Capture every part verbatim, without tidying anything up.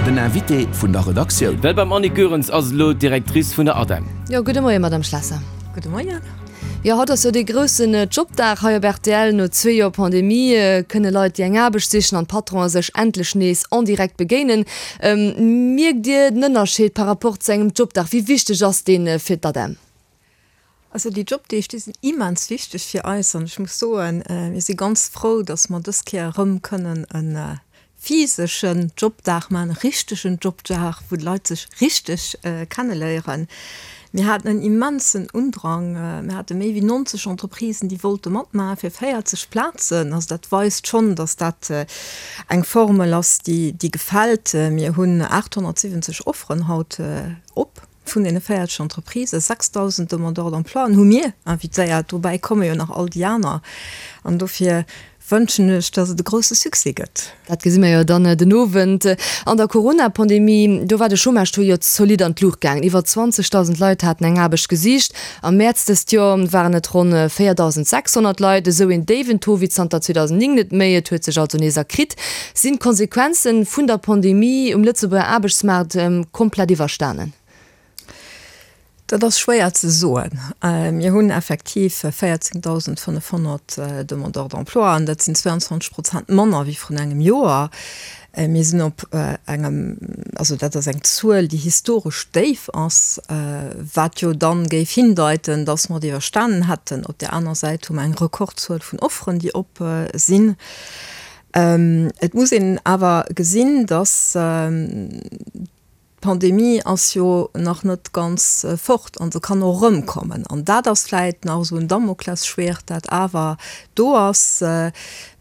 Den Invité vun der Redaktioun. Well beim Annick Goerens ass elo d'Directrice vun der ADEM. Jo, gudde Moien, Madame Schlesser. Gudde Moien. Jo, haut ass jo dee groussen Jobdag hei op rtl. No zwee Joer Pandemie kënne Leit, déi eng Aarbecht sichen, an d'Patronen sech endlech nees en direct begéinen. Mierkt Dir den Ënnerscheed par rapport zu engem Jobdag? Wéi wichteg ass dee fir d'ADEM? Also déi Jobdeeg, déi sinn immens wichteg fir eis an ech muss soen, mir si ganz frou, datt mer dës Kéier erëm kënnen e physeschen Jobdag maachen, e richtegen Jobdag, wou d'Leit sech richteg kenneléieren. Mir haten en immensen Undrang. Mir hate méi wéi neunzeg Entreprisen, déi wollte matmaachen, fir véierzeg Plazen. Also dat weist schonn, datt dat eng Formel ass, déi gefält. Mir hunn aathonnertsiwwenzeg Offeren haut op vun deene véierzeg Entreprisen. sechstausend Demandeurs d'emploien hu mir invitéiert. Dobäi komme jo nach all déi aner. An dofir wënschen ech, dass et e grousse Succès gëtt. Dat gesi mir jo dann den Owend. An der Corona-Pandemie, do war de Chômage-Taux jo zolidd an d'Luucht gaangen. Iwwer zwanzegdausend Leit haten eng Aarbecht gesicht. Am Mäerz dëst Joer waren et ronn véierdausend sechshonnert Leit, esou een déiwen Taux wéi zanter zweedausendnéng net méi. Et huet sech also nees erkritt. Sinn d'Konsequenze vun der Pandemie um Lëtzebuerger Aarbechtsmaart komplett iwwerstanen? Dat ass schwéier ze soen. Mir hunn effektiv véierzéngdausendfënnefhonnert Demandeurs d'emploi an dat sinn zweiundzwanzeg Prozent manner wéi vrun engem Joer. Mir sinn op engem, also dat ass eng Zuel, déi historesch déif ass, wat jo dann géif hindeiten, datt mer et iwwerstanen hätten. Op där aner Säit hu mer eng Rekordzuel vun Offeren, déi op sinn. Et muss een awer gesinn, datt d'Pandemie ass jo nach net ganz fort an se kann och erëmkommen. An dat ass vläit nach esou en Damoklesschwert, dat awer do ass.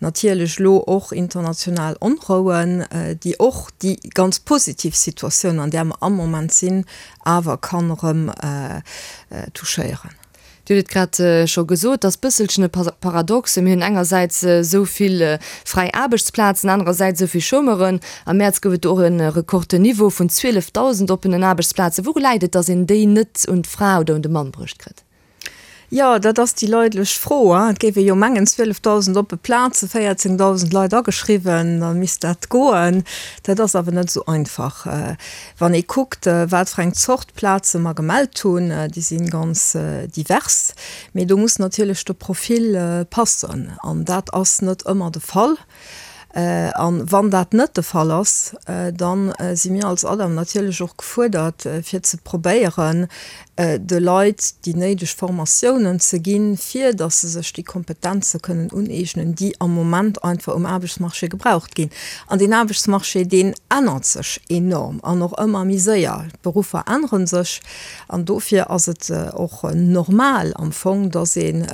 Natierlech elo och international Onrouen, déi och déi ganz positiv Situatioun, an där mer am Moment sinn, awer kann erëm touchéieren. Dir hutt et grad scho gesot, et ass bësselchen e Paradoxe. Mir hunn engersäits esou vill fräi Aarbechtsplazen, anerersäits esou vill Chômeuren. Am Mäerz gouf et do och e Rekordniveau vun zwielefdausend oppenen Aarbechtsplazen. Wouru läit et, datt een déi net un d'Fra oder un de Mann bruecht kritt? Jo, dat ass déi leidlech Fro. Et géif ee jo mengen, zwielefdausend oppe Plazen, véierzéngdausend Leit ageschriwwen, da misst dat goen. Dat ass awer net esou einfach. Wann ee kuckt, wat fir eng Zort Plaze mer gemellt hunn, déi si ganz divers. Mee do muss natierlech de Profil passen an dat ass net ëmmer de Fall. An wann dat net de Fall ass, da si mir als ADEM natierlech och gefuerdert, fir ze probéieren, de Leit déi néideg Formatiounen ze ginn, fir datt se sech déi Kompetenze kënnen uneegnen, déi am Moment einfach um Aarbechtsmarché gebraucht ginn. An deen Aarbechtsmarché, deen ännert sech enorm an och ëmmer méi séier. D'Beruffer ännere sech an dofir ass et och normal am Fong, datt een,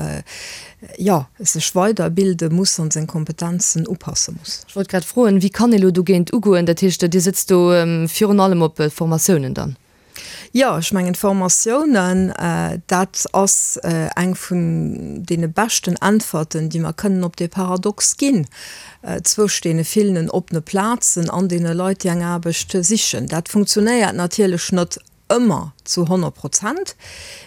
jo, sech weiderbilde muss an seng Kompetenzen upasse muss. Ech wollt grad froen, wéi kann ee lo dogéint ugoen? Dat heescht, Dir sëtzt do virun allem op Formatiounen dann? Jo, ech mengen d'Formatiounen, dat ass eng vun deene beschten Äntwerten, déi mer kënnen op dee Paradox ginn, zwëscht deene villenen oppene Plazen an deene Leit, déi eng Aarbecht sichen. Dat funktionéiert natierlech net ëmmer zu honnert Prozent,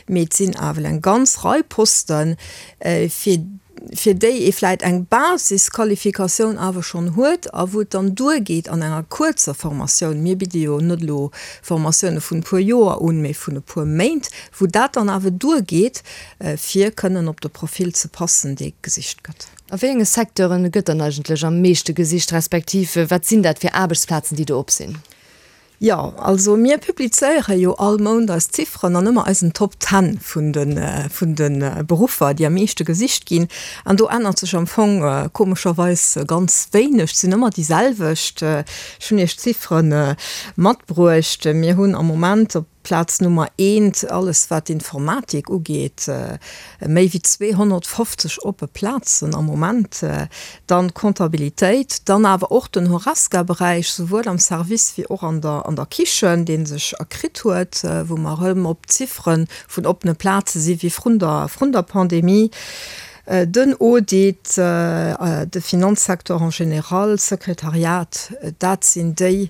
mee et sinn awer eng ganz Rei Posten, fir fir déi ee vläit eng Basisqualifikatioun awer schonn huet a wou et dann duergeet an enger kuerzer Formatioun, mir bidde jo net elo Formatioune vun e puer Joer un, mee vun e puer Méint, wou dat dann awer duergeet, fir kënnen op de Profil ze passen, dee gesicht gëtt. A wéi enge Secteure gëtt dann eigentlech am meeschte gesicht, respektiv wat sinn dat fir Aarbechtsplazen, déi do op sinn? Jo, also mir publizéiere jo all Mount eis Zifferen an ëmmer eisen Top Ten vun de vun de Beruffer, déi am meeschte gesicht ginn. An do ännert sech am Fong komescherweis ganz wéineg, et sinn ëmmer déi selwecht. Ech hunn Iech d'Ziffere matbruecht. Mir hunn am Moment op Plaz Nummer eent alles wat d'Informatik ugeet, méi wéi zweehonnertfofzeg oppe Plazen am Moment, dann d'Comptabilitéit, dann awer och den Horesca-Beräich, souwuel am Service wéi och an der an der Kichen, dee sech erkritt huet, wou mer erëm op Ziffere vun oppene Plaze si wéi vrun der vrun der Pandemie. Den Audit, de Finanzsecteur en général, d'Sekretariat, dat sinn déi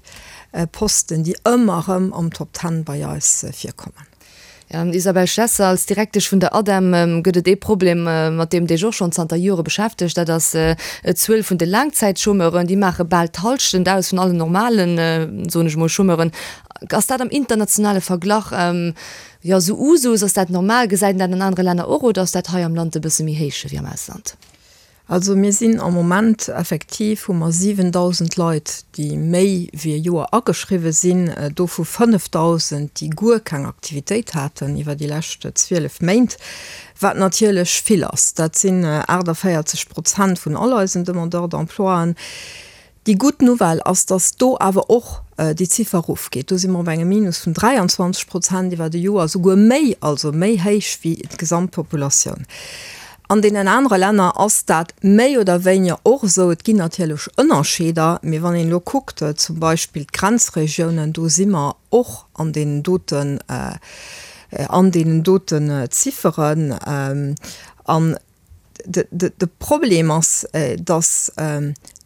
Posten, déi ëmmer erëm am Top Ten bei eis virkommen. Isabelle Schlesser, als Direktesch vun der ADEM gëtt et ee Problem, mat deem Dir iech och schonn zanter Jore beschäftegt, dat ass d'Zuel vun de Laangzäitchômeuren. Déi maache bal d'Hallschent aus vun allen normalen, soen ech emol, Chômeuren. Ass dat am internationale Verglach jo esou Usus? Ass dat normal? Gesäit een dat an anere Länner och oder ass dat hei am Land e bësse méi héich wéi am Ausland? Also mir sinn am Moment effektiv, hu mer siwendausend Leit, déi méi wéi e Joer ageschriwwe sinn, dovu fënnefdausend, déi guer keng Aktivitéit haten iwwer déi lescht zwielef Méint, wat natierlech vill ass. Dat sinn aachtavéierzeg Prozent vun all eisen Demandeurs d'emploien. Déi gutt Nouvelle ass, dass do awer och déi Ziffer erofgeet. Do si mer op engem Minus vun dräianzwanzeg Prozent iwwer e Joer, souguer méi, also méi héich wéi d'Gesamtpopulatioun. An deenen anere Länner ass dat méi oder wéiniger och esou. Et ginn natierlech Ënnerscheeder, mee wann een elo kuckt, zum Beispill d'Grenzregiounen, do si mer och an deenen doten, an deenen doten Zifferen. An de Problem ass, dass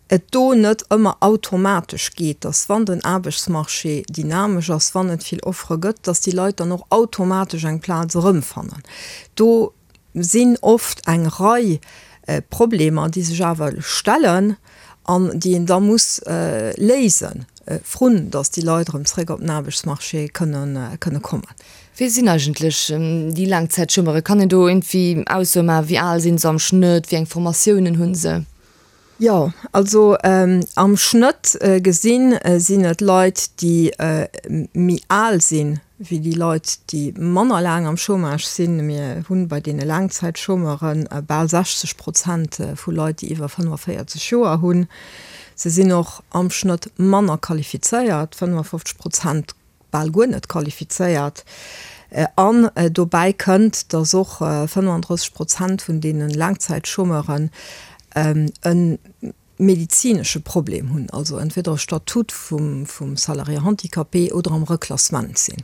et do net ëmmer automatesch geet, dass wann den Aarbechtsmarché dynamesch ass, wann et vill Offere gëtt, dass déi Leit dann och automatesch eng Plaz erëmfannen. Do sinn oft eng Rei Problemer, déi sech awer stellen an déi een da muss léisen, vrun dass déi Leit erëm zréck op den Aarbechtsmarché kënnen kommen. Wie sinn eigentlech déi Laangzäitchômeure? Kann een do iergendwéi Aussoe maachen, wéi al sinn se am Schnëtt, wéi eng Formatiounen hu se? Jo, also am Schnëtt gesinn, sinn et Leit, déi méi al sinn wéi déi Leit, déi manner laang am Chômage sinn. Mir hunn bei deene Laangzäitchômeure bal sechzeg Prozent vu Leit, déi iwwer fënnefenvéierzeg Joer hunn. Se sinn och am Schnëtt manner qualifizéiert, fënnefenfofzeg Prozent bal guer net qualifizéiert. An dobäi kënnt, datt och fënnefenddrësseg Prozent vun deene Laangzäitchômeuren e medezinesche Problem hunn, also entweder e Statut vum Salarié handicapé oder am Reklassement sinn.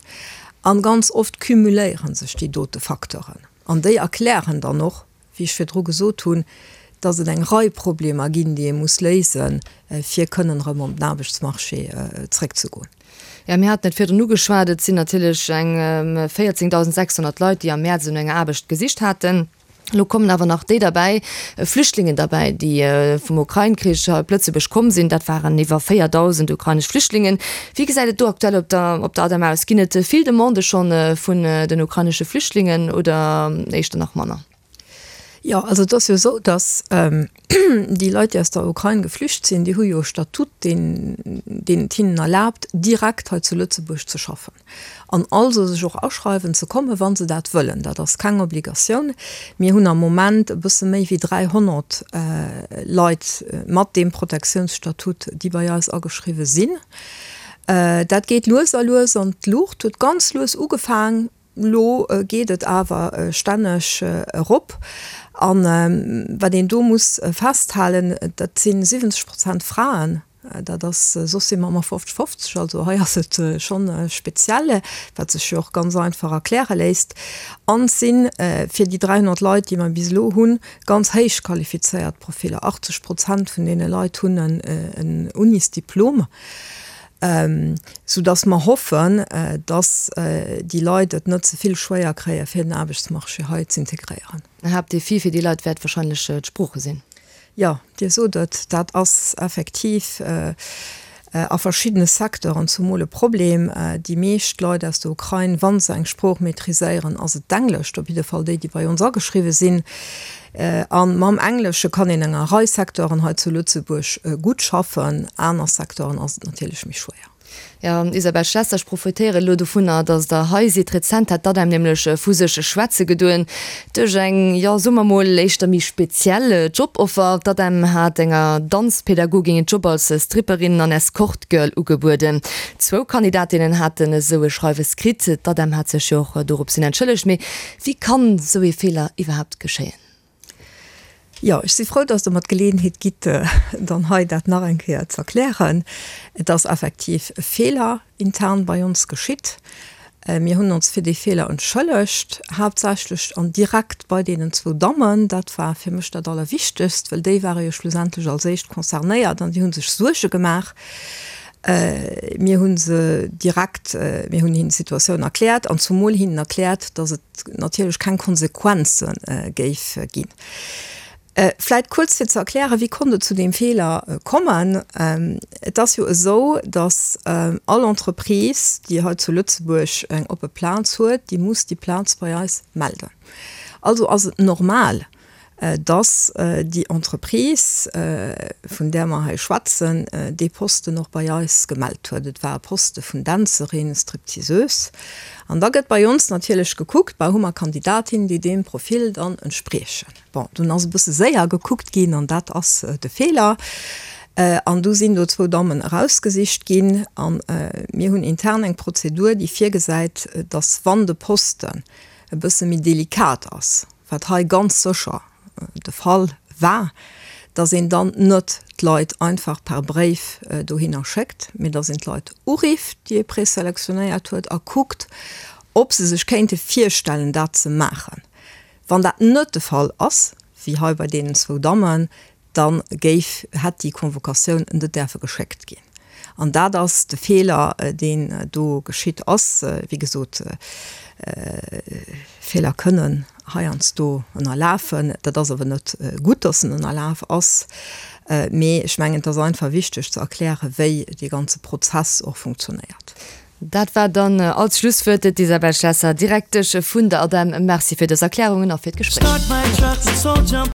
An ganz oft cumuléiere sech déi dote Facteuren. An déi erklären dann och, wéi ech virdru gesot hunn, dass et eng Rei Problemer ginn, déi ee muss léisen, fir kënnen erëm op den Aarbechtsmarché zréckzegoen. Jo, mir haten et virdrun ugeschwat, et sinn natierlech eng véierzéngtausendsechshonnert Leit, déi am Mäerz no enger Aarbecht gesicht haten. Elo kommen awer nach déi derbäi, Flüchtlingen derbäi, déi vum Ukrain-Krich hei op Lëtzebuerg komm sinn. Dat waren iwwer véierdausend ukrainesch Flüchtlingen. Wéi gesäit et do aktuell op der op der ADEM aus? Ginn et vill Demandë schonn vun den ukrainesche Flüchtlingen oder éischter nach manner? Jo, also et ass jo esou, datt déi Leit, déi aus der Ukrain geflücht sinn, déi hu jo e Statut, deen deen et hinnen erlaabt, direkt hei zu Lëtzebuerg ze schaffen an also sech och aschreiwen ze kommen, wa se dat wëllen. Dat ass keng Obligatioun. Mir hunn am Moment e bësse méi wéi dräihonnert Leit mat deem Protektiounsstatut, déi bei eis ageschriwwe sinn. Dat geet lues a lues an d'Luucht, huet ganz lues ugefaang. Elo geet et awer stänneg erop. A wat een do muss festhalen, dat si siwwenzeg Prozent Fraen. Dat ass, soss si mer ëmmer fofzeg fofzeg, also hei ass et schonn speziell, wat sech jo och ganz einfach erkläre léisst. An et si fir déi dräihonnert Leit, déi mer bis elo hunn, ganz héich qualifizéiert Profiller. Achtzeg Prozent vun deene Leit hunn en Unisdiplom. Soudass mer hoffen, dass déi Leit et net ze vill schwéier kréien, fir den Aarbechtsmarché hei z'integréieren. En Haaptdefi fir déi Leit wäert wahrscheinlech d'Sprooche sinn. Jo, Dir sot et, dat ass effektiv a verschiddene Secteuren zumol e Problem. Déi meescht Leit aus der Ukrain, wa se eng Sprooch maîtriséieren, ass et d'Englescht, op jidde Fall déi, déi bei ons ageschriwwe sinn. A mam Englesche kann een enger Rei Secteuren hei zu Lëtzebuerg gutt schaffen, aner Secteuren ass et natierlech méi schwéier. Jo, Isabelle Schlesser, ech profitéieren elo dovunner, datt Der hei sidd. Rezent hat d'ADEM nämlech vu sech schwätze gedoen duerch eng, jo, soe mer mol, éischter méi speziell Joboffer. D'ADEM hat enger Danzpädagogin en Job als Stripperin an Escort-Girl ugebueden. Zwou Kandidatinnen haten esou e Schreiwes kritt. D'ADEM hat sech jo och dorops hin entschëllegt. Mee wéi kann esou ee Feeler iwwerhaapt geschéien? Jo, ech si frou, dass Der mer d'Geleeënheet gitt, dann hei dat nach eng Kéier ze erklären. Et ass effektiv e Feeler intern bei ons geschitt. Mir hunn ons fir dee Feeler entschëllegt, haaptsächlech an direkt bei deenen zwou Dammen. Dat war fir mech dat Allerwichtegst, well déi ware jo schlussendlech als éischt concernéiert an déi hu sech Suerge gemaach. Mir hu se direkt, mir hunn hinnen d'Situatioun erkläert an zumol hinnen erkläert, dass et natierlech keng Konsequenze géif ginn. Vläit kuerz fir ze erklären, wéi konnt et zu deem Feeler kommen. Et ass jo esou, dass all Entreprise, déi hei zu Lëtzebuerg eng oppe Plaz huet, déi muss déi Plaz bei eis melden. Also ass et normal, dass déi Entreprise, vun där mer hei schwätzen, dee Posten och bei eis gemellt huet. Et war e Poste vun Dänzerin, Stripteaseuse. An da gëtt bei ons natierlech gekuckt, bah, hu mer Kandidatinnen, déi deem Profil dann entspriechen. Bon, dunn ass e bësse séier gekuckt ginn an dat ass de Feeler. An du sinn do zwou Dammen erausgesicht ginn. A mir hunn intern eng Prozedur, déi virgesäit, dass wann de Posten e bësse méi delikat ass, wat hei ganz sécher de Fall war, dass een dann net d'Leit einfach per Bréif dohinner schéckt, mee dass een d'Leit urifft, déi ee preselektionéiert huet, a kuckt, ob se sech kéinte virstellen, dat ze maachen. Wann dat net de Fall ass, wéi hei bei deenen zwou Dammen, da géif, hätt déi Convocatioun net däerfe geschéckt ginn. An dat ass de Feeler, deen do geschitt ass. Wéi gesot, Feeler kënnen heiansdo ënnerlafen. Dat ass awer net gutt, dass en ënnerlaf ass. Mee ech mengen, et ass einfach wichteg ze erklären, wéi dee ganze Prozess och funktionéiert. Dat war dann als Schlusswuert d'Isabelle Schlesser, Direktesch vun der ADEM. Merci fir dës Erklärungen a fir d'Gespréich.